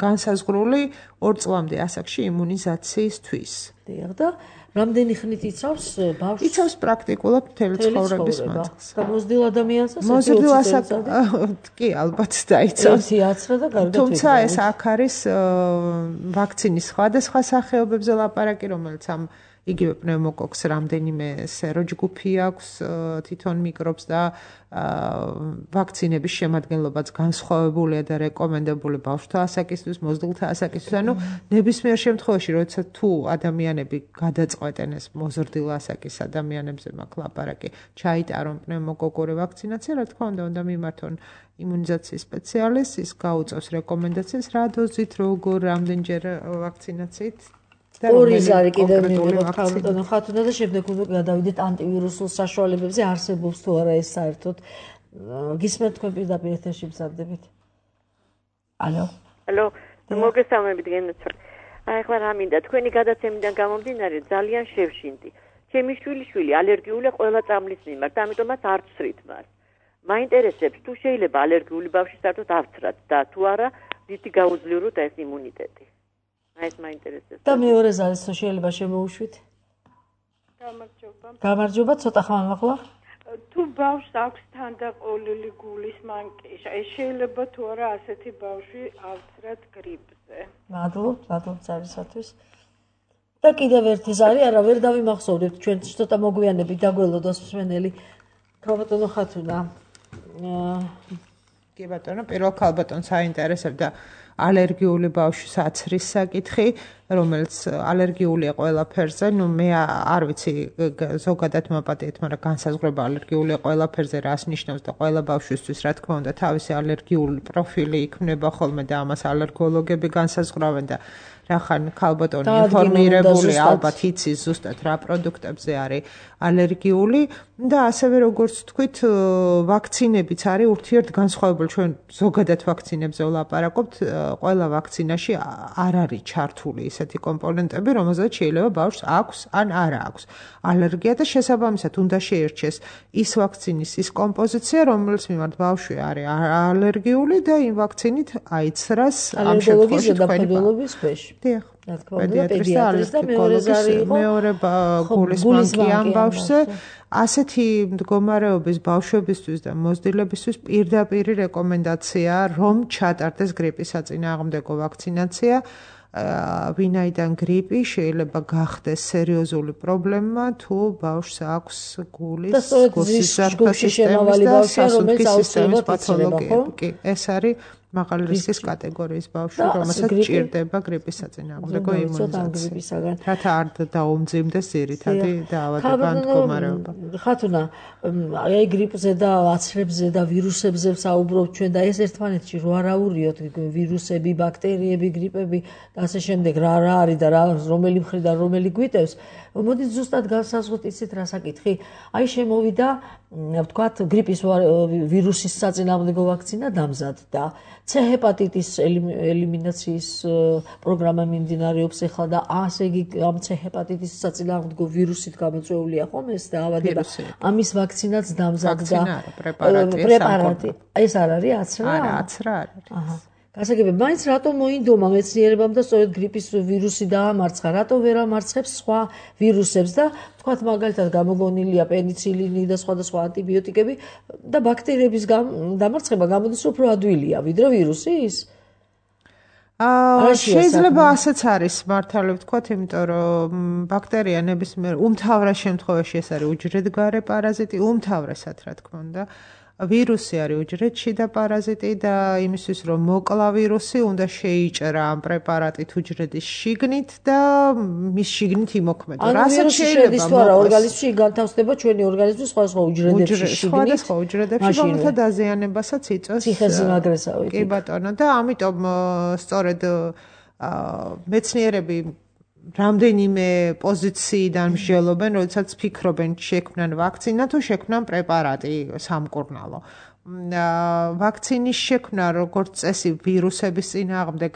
განსაზღვრული 2 წლამდე ასაკში იმუნიზაციისთვის. დიახ და რამდენი ხნით იცავს ბავშვს? იცავს პრაქტიკულად მთელი ცხოვრების მანძილს. და მოზრდილ ადამიანსაც მოზრდილ ასაკს კი ალბათ დაიცავს. ერთი აცრა და კარგად. თუმცა ეს აქ არის ვაქცინის სხვადასხვა სახეობებზე ლაპარაკი, რომელიც ამ იგივე პნევმოკოკს რამდენიმე სეროჯგუფი აქვს თვითონ მიკრობს და ვაქცინების შემადგენლობაც განსხვავებულია და რეკომენდებული ბავშვთა ასაკისთვის, მოზრდილთა ასაკისთვის. ანუ ნებისმიერ შემთხვევაში, როდესაც თუ ადამიანები გადაწყვეტენ ეს მოზრდილ ასაკის ადამიანებზე მაქვს ლაპარაკი, ჩაიტარონ პნევმოკოკური ვაქცინაცია, რა თქმა უნდა მიმართონ იმუნიზაციის სპეციალისტს, ის გაუწევს რეკომენდაციას, რა დოზით, როგორ, რამდენჯერ ვაქცინაციით. ორი ზარი კიდევ მივიღოთ ქალბატონო ხათუნა და შემდეგ უნდა გადავიდეთ ანტივირუსულ საშუალებებზე, არსებობს თუ არა ეს საერთოდ. გისმენთ თქვენ პირდაპირ ეთერში მზადდებით. ალო. ალო, მოგესალმებით გენაცვალ. აი ახლა რა მინდა, თქვენი გადაცემიდან გამომდინარე ძალიან შევშინდი. ჩემი შვილი ალერგიულია ყველა წამლის მიმართ, ამიტომაც არ ვცრით მას. მაინტერესებს თუ შეიძლება ალერგიული ბავშვი საერთოდ ავცრათ და თუ არა დიდი გაუძლიეროთ ეს იმუნიტეტი. ეს მაინტერესებს. და მეორე ზარს შეიძლება შემოუშვით? გამარჯობა, ცოტა ხმამ ახლა. თუ ბავშვს აქვს თანდაყოლილი გულის მანკიშა, ეს შეიძლება თუ არა ასეთი ბავშვი ავცრათ გრიპზე. მადლობ ზარისათვის. და კიდევ ერთი ზარი, არა ვერ დავიმახსოვრებთ, ჩვენ ცოტა მოგვიანებით დაგველოდოს მსმენელი ქალბატონო ხათუნა. კი ბატონო, პირველ ქალბატონს აინტერესებდა ალერგიული ბავშვის აცრის საკითხი, რომელიც ალერგიულია ყველაფერზე, მე არ ვიცი ზოგადად მოპატიეთ, მაგრამ განსაზღვრება ალერგიულია ყველაფერზე რას ნიშნავს და ყველა ბავშვისთვის რა თქმა უნდა თავისი ალერგიული პროფილი იქმნება ხოლმე და ამას ალერგოლოგები განსაზღვრავენ და რახან ქალბატონი ინფორმირებული ალბათ იცის ზუსტად რა პროდუქტებზე არის ალერგიული და ასევე როგორც თქვით ვაქცინებიც არის ურთიერთგანსხვავებული ჩვენ ზოგადად ვაქცინებზე ვლაპარაკობთ ყველა ვაქცინაში არ არის ჩართული ისეთი კომპონენტები რომელზეც შეიძლება ბავშვს აქვს ან არა აქვს ალერგია და შესაბამისად უნდა შეირჩეს ის ვაქცინის ის კომპოზიცია რომელიც მიმართ ბავშვი არის ალერგიული და იმ ვაქცინით აიცრას ამ შემთხვევაში თქვენი ბავშვი დიახ პედიატრის და მეორე გულის მანკი ამ ბავშვზე ასეთი მდგომარეობის ბავშვებისთვის და მოზრდილებისთვის პირდაპირი რეკომენდაცია რომ ჩატარდეს გრიპის საწინააღმდეგო ვაქცინაცია ვინაიდან გრიპი შეიძლება გახდეს სერიოზული პრობლემა თუ ბავშვს აქვს გულის გულსისარდაფის სისტემის პათოლოგიები. კი, ეს არის მაღალი რისკის კატეგორიის ბავშვი, რომელსაც ჭირდება გრიპის საწინააღმდეგო იმუნიზაცია. რათა არ დაუმძიმდეს ძირითადი დაავადება ან მდგომარეობა. ხათუნა, აი გრიპზე და აცრებზე და ვირუსებზე საუბრობთ ჩვენ და ეს ერთმანეთში რო არაურიოთ ვირუსები, ბაქტერიები, გრიპები და ასე შემდეგ რა არის და რომელი მხრიდან რომელი გვიტევს. მოდით ზუსტად განსაზღვროთ იცით რა საკითხი. აი შემოვიდა ვთქვათ გრიპის ვირუსის საწინააღმდეგო ვაქცინა დამზადდა. C ჰეპატიტის ელიმინაციის პროგრამა მიმდინარეობს ახლა და ასე იგი ამ C ჰეპატიტის საწინააღმდეგო ვირუსით გამოწვეულია ხომ ეს დაავადება. ამის ვაქცინაც დამზადდა. პრეპარატი. ეს არ არის აცრა? არა, აცრა არ არის. აჰა. გასაგებია, მაინც რატო მოინდომა მეცნიერებამ და სწორედ გრიპის ვირუსი დაამარცხა, რატო ვერ ამარცხებს სხვა ვირუსებს და თქვათ მაგალითად გამოგონილია პენიცილინი და სხვადასხვა ანტიბიოტიკები და ბაქტერიების დამარცხება გამოდის უფრო ადვილია ვიდრე ვირუსის? შეიძლება ასეც არის მართალი ვთქვათ, იმიტომ რომ ბაქტერია ნებისმიერ უმთავრეს შემთხვევაში ეს არის უჯრედგარე პარაზიტი, უმთავრესად რა თქმა უნდა. ვირუსი არის უჯრედშიდა პარაზიტი და იმისთვის რომ მოკლა ვირუსი უნდა შეიჭრა ამ პრეპარატით უჯრედის შიგნით და მის შიგნით იმოქმედა. რასაც შეიძლება ორგანიზმში განთავსდება ჩვენი ორგანიზმის სხვადასხვა უჯრედებში შიგნით. სხვადასხვა უჯრედებში რომელთა დაზიანებასაც იწვევს ციხესიმაგრესავით. კი ბატონო და ამიტომ სწორედ მეცნიერები რამდენიმე პოზიციიდან მსჯელობენ, როდესაც ფიქრობენ შექმნან ვაქცინა თუ შექმნან პრეპარატი სამკურნალო. ვაქცინის შექმნა როგორც წესი ვირუსების წინააღმდეგ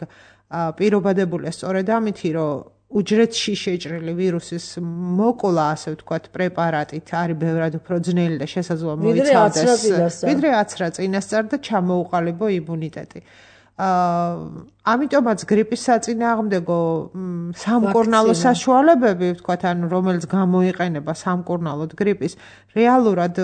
პირობადებულია სწორედ ამითი, რომ უჯრედში შეჭრილი ვირუსის მოკლა, ასე ვთქვათ, პრეპარატით არის ბევრად უფრო ძნელი და შესაძლოა მოიცავდეს ვიდრე აცრა წინასწარ და ჩამოუყალიბო იმუნიტეტი. ამიტომაც გრიპის საწინააღმდეგო სამკურნალო საშუალებები, ვთქვათ, ანუ რომელიც გამოიყენება სამკურნალოდ გრიპის, რეალურად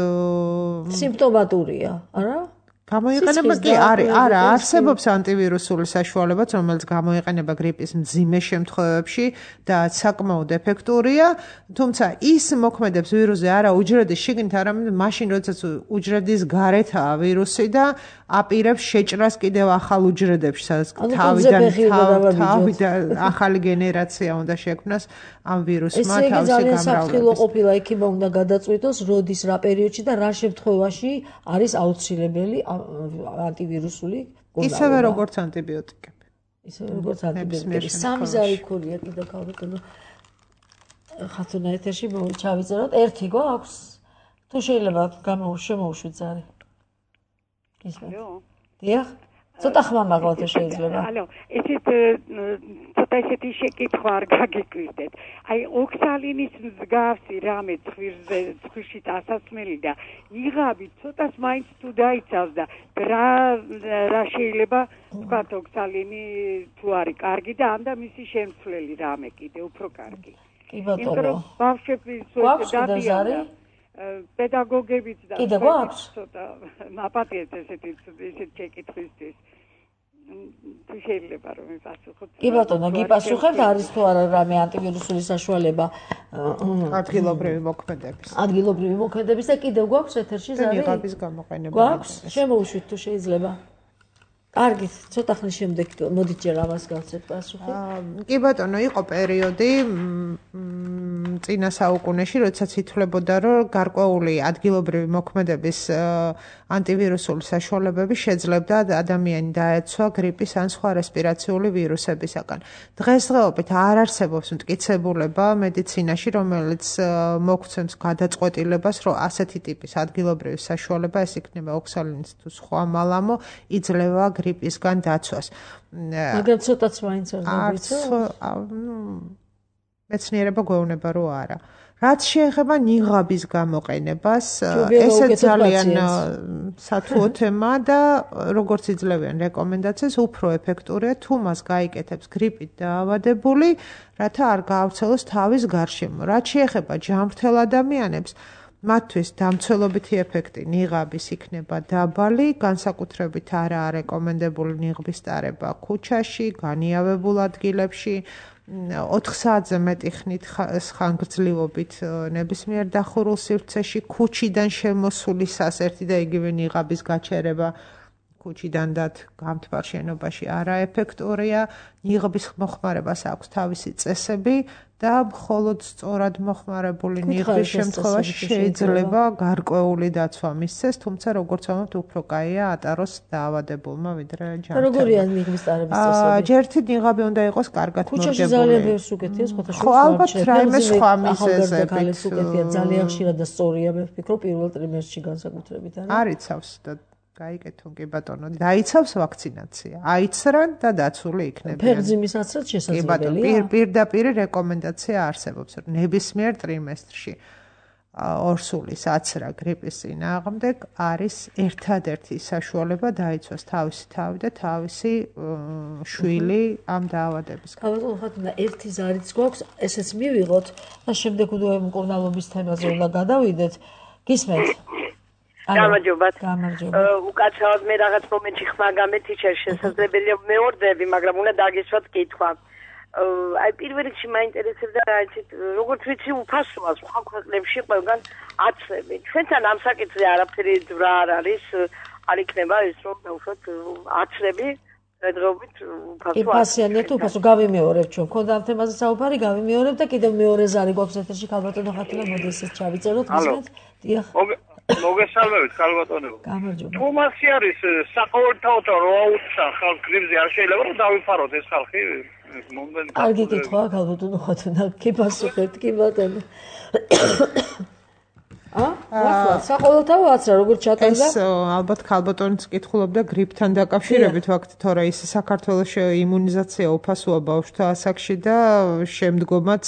სიმპტომატურია, არა? გამოიყენება კი არა არსებობს ანტივირუსული საშუალებაც რომელიც გამოიყენება გრიპის მძიმე შემთხვევებში და საკმაოდ ეფექტურია თუმცა ის მოქმედებს ვირუსზე არა უჯრედის შიგნით არამედ მაშინ როდესაც უჯრედის გარეთაა ვირუსი და აპირებს შეჭრას კიდევ ახალ უჯრედებში სადაც თავიდან ახალი გენერაცია უნდა შექმნას ამ ვირუსმა თავისი გამრავლების. ეს ძალიან საფრთხილო ყოფილა იქება უნდა გადაწყვიტოს როდის რა პერიოდში და რა შემთხვევაში არის აუცილებელი ანტივირუსული კურნალობა. ისევე როგორც ანტიბიოტიკები. ისევე როგორც ანტიბიოტიკები. სამი ზარი ქულია კიდე ქალბატონო. ხათუნა ეთერში ჩავიწეროთ. ერთი გვაქვს? თუ შეიძლება შემოვუშვით ზარი. ისმენთ. დიახ. ცოტა ხმა მაგალითად შეიძლება. ალო, ესეთ ცოტა ესეთი შეკითხვა არ გაგიკვირდეთ. აი ოქსალინის მსგავსი რამე ცხვირში დასასმელი და იღაბი ცოტას მაინც თუ დაიცავს და რა შეიძლება თქვათ ოქსალინი თუ არის კარგი და ამ და მისი შემცვლელი რამე კიდე უფრო კარგი. კი ბატონო. ბავშვების დადიან პედაგოგებიც და კიდე გვაქვს ცოტა მაპატიეთ ესეთი შეკითხვისთვის თუ შეიძლება რომ მიპასუხოთ. კი ბატონო, გიპასუხებთ არის თუ არა რამე ანტივირუსული საშუალება ადგილობრივი მოქმედების და კიდევ გვაქვს ეთერში ზარი? ნიღაბის გამოყენება. გვაქვს? შემოვუშვით თუ შეიძლება. კარგი, ცოტა ხნის შემდეგ მოდით ჯერ ამას გავცეთ პასუხი. კი ბატონო, იყო პერიოდი წინა საუკუნეში, როდესაც ითვლებოდა, რომ გარკვეული ადგილობრივი მოქმედების ანტივირუსული საშუალებები შეძლებდა ადამიანი დაეცვა გრიპის ან სხვა რესპირაციული ვირუსებისაგან. დღესდღეობით არ არსებობს მტკიცებულება მედიცინაში, რომელიც მოგცემს გადაწყვეტილებას, რომ ასეთი ტიპის ადგილობრივი საშუალება, ეს იქნება ოქსალინის თუ სხვა მალამო, იძლევა გრიპისგან დაცვას. მაგრამ ცოტაც მაინც არ ვიცი. მეცნიერება გვეუბნება, რომ არა. რაც შეეხება ნიღაბის გამოყენებას, ესეც ძალიან სათუო თემა და როგორც იძლევიან რეკომენდაციას, უფრო ეფექტურია თუ მას გაიკეთებს გრიპით დაავადებული, რათა არ გაავრცელოს თავის გარშემო. რაც შეეხება ჯანმრთელ ადამიანებს, მათთვის დამცველობითი ეფექტი ნიღაბის იქნება დაბალი, განსაკუთრებით არაა რეკომენდებული ნიღბის ტარება ქუჩაში, განიავებულ ადგილებში, 4 საათზე მეტი ხნით ხანგრძლივობით ნებისმიერ დახურულ სივრცეში, ქუჩიდან შემოსულისას ერთი და იგივე ნიღაბის გაჩერება ქუჩიდან დათ გამთბარ შენობაში არაეფექტურია, ნიღბის მოხმარებას აქვს თავისი წესები და მხოლოდ სწორად მოხმარებული ნიღბის შემთხვევაში შეიძლება გარკვეული დაცვა მისცეს, თუმცა როგორც ვამბობთ, უფრო კაია ატაროს დაავადებულმა ვიდრე ჯანმრთელმა. როგორია ნიღბის ტარების წესები? ჯერთი ნიღაბი უნდა იყოს კარგად მორგებული. ქუჩაში ძალიან ბევრს უკეთია, ხო, ალბათ რაიმე სხვა მიზეზებით. ძალიან ხშირად და სწორია, მე ვფიქრობ, პირველ ტრიმესტრში განსაკუთრებით არის. არიცავს და გაიგეთო კი ბატონო, დაიცავს ვაქცინაცია. აიცრან და დაცული იქნება. ფერმზიმის აცრაც შესაძლებელია. პირდაპირ რეკომენდაცია არსებობს, რომ ნებისმიერ ტრიმესტრში ორსულის აცრა გრიპის წინააღმდეგ არის ერთადერთი საშუალება დაიცვას თავისი თავი და თავისი შვილი ამ დაავადების. ბატონო ხათუნა, ერთი ზარიც გვაქვს, ესეც მივიღოთ და შემდეგ მკურნალობის თემაზე უნდა გადავიდეთ. გისმენთ? გამარჯობათ. გამარჯობა. უკაცრავად მე რაღაც მომენტში ხმა გამეთიჩა, შესაძლებელია მეორდები, მაგრამ უნდა დაგესვათ კითხვა. აი პირველ რიგში მაინტერესებდა რა იცით, როგორც ვიცი უფასოა სხვა ქვეყნებში ყველგან აცრები. ჩვენთან ამ საკითხზე არაფერი ძვრა არ არის, არ იქნება ეს რომ დაუშვათ აცრები დღეობით უფასოა. იფასიანია თუ უფასო გავიმეორებ ჩვენ. ქონდა ამ თემაზე საუბარი, გავიმეორებ და კიდევ მეორე ზარი გვაქვს ეთერში ქალბატონო ხათუნა, მოდი ესეც ჩავიწეროთ მისმენთ. დიახ. მოგესალმებით ქალბატონო. გამარჯობა. თუ მასი არის საყოველთაოდ რო აუცხა ხალხ გრიპზე არ შეიძლება რომ დავიფაროთ ეს ხალხი მომდენ. კარგი კითხვაა ქალბატონო ხათუნა, კი პასუხეთ, კი ბატონო. საყოველთაო აცრა როგორც ჩატარდა? ეს ალბათ ქალბატონიც კითხულობდა გრიპთან დაკავშირებით ვაქტ, თორე ის საქართველოში იმუნიზაცია უფასოა ბავშვთა ასაკში და შემდგომაც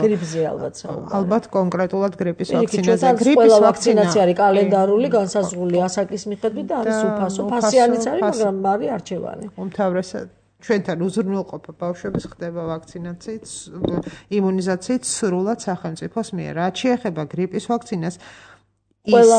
გრიპზე ალბათ საუბარი. ალბათ კონკრეტულად გრიპის ვაქცინაზე. გრიპის ვაქცინაცია არის კალენდარული, განსაზღვრული ასაკის მიხედვით და არის უფასო. ფასიანიც არის, მაგრამ არის არჩევანი. უმთავრესად ჩვენთან უზრუნველყოფა ბავშვების ხდება ვაქცინაციით, იმუნიზაციით სრულად სახელმწიფოს მიერ. რაც შეეხება გრიპის ვაქცინას, ის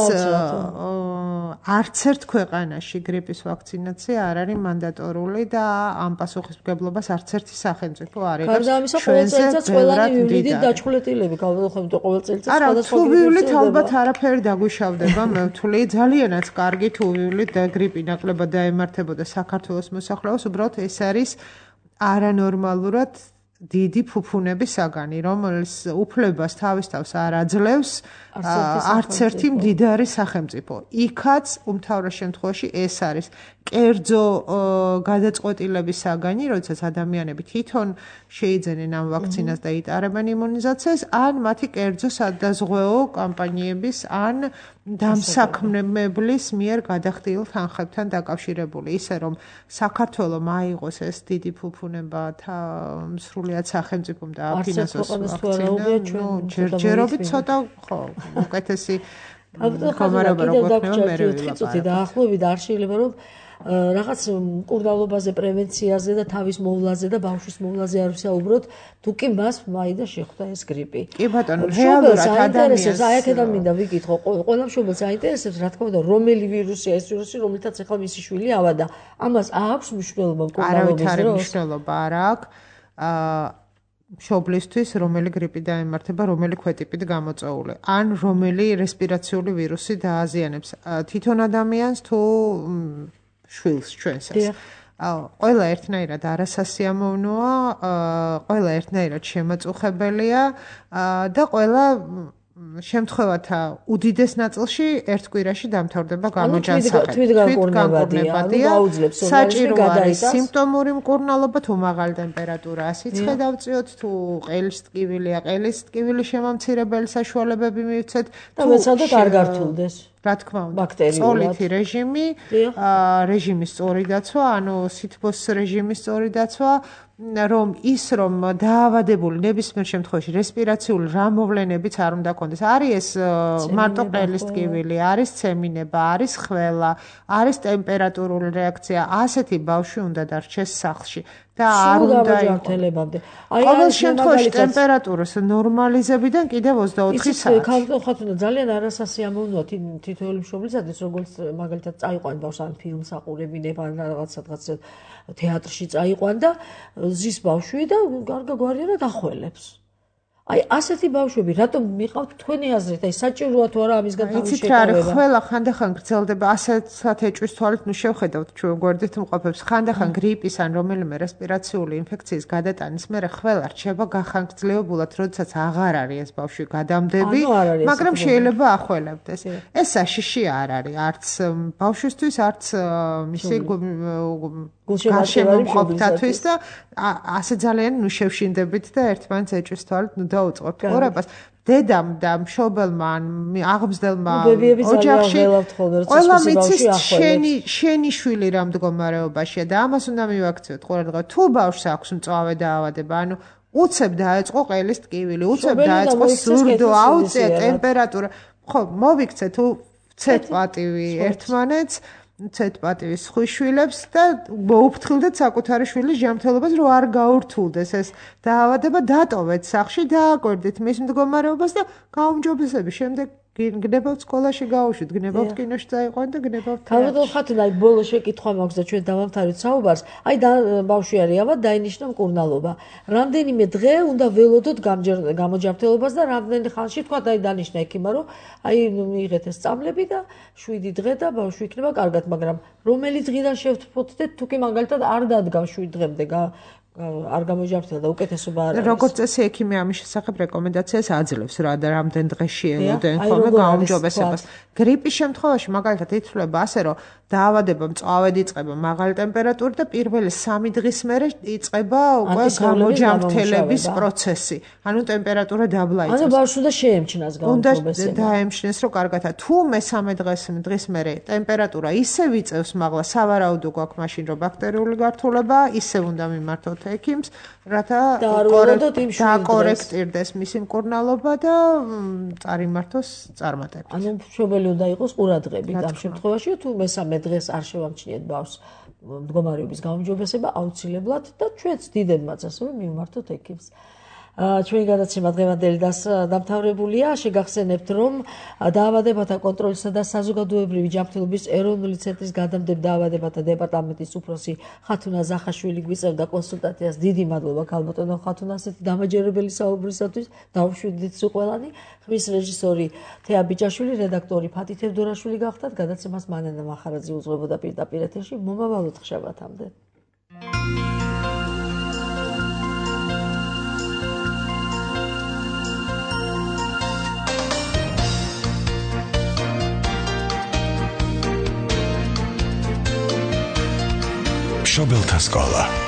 არც ერთ ქვეყანაში გრიპის ვაქცინაცია არ არის მანდატორული და ამ პასუხისმგებლობას არც ერთი სახელმწიფო არ იღებს. გარდა ამისა, ყოველ წელიწადს ყველანი მივლიდით დაჩხულეტილები, გავხდით ყოველ წელიწადს სხვადასხვა ვივლით ალბათ არაფერი დაგვიშავდება, მე ვთვლი, ძალიანაც კარგი თუ ვივლით და გრიპი ნაკლებად დაემართებოდა საქართველოს მოსახლეობას, უბრალოდ ეს არის არანორმალურად დიდი ფუფუნების საგანი, რომელიც უფლებას თავის თავს არ აძლევს არც ერთი მდიდარი სახელმწიფო. იქაც უმთავრეს შემთხვევაში ეს არის კერძო გადაწყვეტილების საგანი, როდესაც ადამიანები თვითონ შეიძენენ ამ ვაქცინას და იტარებენ იმუნიზაციას, ან მათი კერძო სადაზღვეო კამპანიების, ან დამსაქმებლის მიერ გადახდილ თანხებთან დაკავშირებული, ისე რომ საქართველოს აიღოს ეს დიდი ფუფუნება სრულიად სახელმწიფომ და აფინანსოს ვაქცინა, ჯერჯერობით ცოტა ხო, უკეთესი მდგომარეობა როგორ ხდება მე ვიტყვი დაახლოებით არ შეიძლება რომ რაღაც მკურნალობაზე, პრევენციაზე და თავის მოვლაზე და ბავშვის მოვლაზე არ ვისაუბროთ, თუ კი მას მაინდა შეხვდა ეს გრიპი. კი ბატონო, რეალურად ადამიანს აი აქედან მინდა ვიკითხო, ყველა მშობელს აინტერესებს, რა თქმა უნდა, რომელი ვირუსია ეს ვირუსი, რომლითაც ახლა მისი შვილი ავადა. ამას აქვს მნიშვნელობა მკურნალობის დროს? არავითარი მნიშვნელობა არ აქვს. მშობლისთვის რომელი გრიპი დაემართება, რომელი ქვეტიპით გამოწვეული, ან რომელი რესპირაციული ვირუსი დააზიანებს თვითონ ადამიანს თუ შვილს ჩვენსაც. ყველა ერთნაირად არასასიამოვნოა, ყველა ერთნაირად შემაწუხებელია და ყველა შემთხვევათა უდიდეს ნაწილში ერთ კვირაში დამთავრდება გამოჯანსაღებით. თვითგანკურნებადია, საჭირო არის სიმპტომური მკურნალობა, თუ მაღალი ტემპერატურაა, სიცხე დავწიოთ, თუ ყელის ტკივილია, ყელის ტკივილი შემამცირებელი საშუალებები მივცეთ, და მეცადეთ არ გართულდეს. რა თქმა უნდა, სწოლითი რეჟიმი, რეჟიმის სწორი დაცვა, ანუ სითბოს რეჟიმის სწორი დაცვა, რომ ის რომ დაავადებული ნებისმიერ შემთხვევაში რესპირაციული რა მოვლენებიც არ უნდა კონდეს. არის ეს მარტო ყელის ტკივილი, არის ცემინება, არის ხველა, არის ტემპერატურული რეაქცია, ასეთი ბავშვი უნდა დარჩეს სახლში. და არ უნდა ჯანმრთელებამდე. ყოველ შემთხვევაში ტემპერატურის ნორმალიზებიდან კიდევ 24 საათი. ხალხო ძალიან არასასიამოვნოა თითოეული მშობლისათვის, როგორც მაგალითად წაიყვან ბავშვს ან ფილმს აყურებინებ ან რაღაც თეატრში წაიყვან და ზის ბავშვი და გარგაგვარიანად ახველებს. აი ასეთი ბავშვები რატომ მიყავთ თქვენი აზრით? აი საჭიროა თუ არა ამისგან თავის შეკავება? იცით რა არის, ყველა ხანდახან გრძელდება ასეთ ეჭვის თვალით, ნუ შევხედავთ ჩვენ გვერდით მყოფებს, ხანდახან გრიპის ან რომელიმე რესპირაციული ინფექციის გადატანის მერე ყველა რჩება გახანგრძლივებულად, როდესაც აღარ არის ეს ბავშვი გადამდები, მაგრამ შეიძლება ახველებდეს. ეს საშიში არ არის, არც ბავშვისთვის, არც მისი გარშემომყოფთათვის და ასე ძალიან ნუ შევშინდებით და ერთმანეთს ეჭვის თვალით ნუ დაუწყოთ ყურებას. დედამ და მშობელმა ან აღმზრდელმა ოჯახში ყველა მიცის შენი შვილი რა მდგომარეობაშია და ამას უნდა მივაქციოთ ყურადღება. თუ ბავშვს აქვს მწვავე დაავადება, ანუ უცებ დაეწყო ყელის ტკივილი, უცებ დაეწყო სურდო, აუწია ტემპერატურა, ხო, მოვიქცე თუ ცეთ პატივი ერთმანეთს ცეთ პატივის ხუშვილებს და მოუფრთხილდეთ საკუთარი შვილის ჯანმრთელობას, რომ არ გაურთულდეს ეს დაავადება, დატოვეთ სახლში, დააკვირდით მის მდგომარეობას და გაუმჯობესების შემდეგ გნებავთ სკოლაში გავუშვით, გნებავთ კინოში წაიყვან და გნებავთ. თავდადო ხათუნა, აი ბოლო შეკითხვა მაქვს და ჩვენ დავამთავრეთ საუბარს. აი ბავშვი არის ავად დაინიშნა მკურნალობა. რამდენიმე დღე უნდა ველოდოთ გამოჯანმრთელობას და რამდენი ხანში თქვა აი დანიშნა ექიმმა, რომ აი მიიღეთ ეს წამლები და 7 დღე და ბავშვი იქნება კარგად, მაგრამ რომელი დღიდან შევთფოთდეთ, თუ კი მაგალითად არ დადგა 7 დღემდე არ გამოჯანმრთელდა და უკეთესობა არ არის. როგორც წესი ექიმი ამის შესახებ რეკომენდაციას აძლევს რა და რამდენ დღეში ელოდენ ხოლმე გაუმჯობესებას. გრიპის შემთხვევაში მაგალითად ითვლება ასე, რომ დაავადება მწვავედ იწყება მაღალი ტემპერატურით და პირველი 3 დღის მერე იწყება უკვე გამოჯანმრთელების პროცესი. ანუ ტემპერატურა დაბლა იწევს. ანუ ბავშვს უნდა შეემჩნას გაუმჯობესება. უნდა დაემჩნეს, რომ კარგადა. თუ მესამე დღის მერე ტემპერატურა ისევ იწევს მაღლა, სავარაუდო გვაქვს მაშინ, რომ ბაქტერიული გართულება, ისევ უნდა მიმართოთ ექიმს, რათა დაკორექტირდეს მისი მკურნალობა და წარიმართოს წარმატებით. ანუ მშობელი უნდა იყოს ყურადღებით ამ შემთხვევაში, თუ მესამე დღეს არ შევამჩნიეთ ბავშვს მდგომარეობის გაუმჯობესება, აუცილებლად და ჩვენც დიდებმაც ასევე მივმართოთ ექიმს. ჩვენი გადაცემა დღევანდელი დამთავრებულია. შეგახსენებთ, რომ დაავადებათა კონტროლისა და საზოგადოებრივი ჯანმრთელობის ეროვნული ცენტრის გადამდებარე დაავადებათა დეპარტამენტის უფროსი ხათუნა ზახაშვილი გვიწევდა კონსულტაციას. დიდი მადლობა ქალბატონო ხათუნა ასეთი დამაჯერებელი საუბრისათვის. დავუშვიდით სიყვარული. ხმის რეჟისორი თეა ბიჭაშვილი, რედაქტორი ფათი თევდორაშვილი გახდათ. გადაცემას მანენა მახარაძე უძღვებოდა პირდაპირ ეთერში. მომავალ შაბათამდე. მშობელთა სკოლა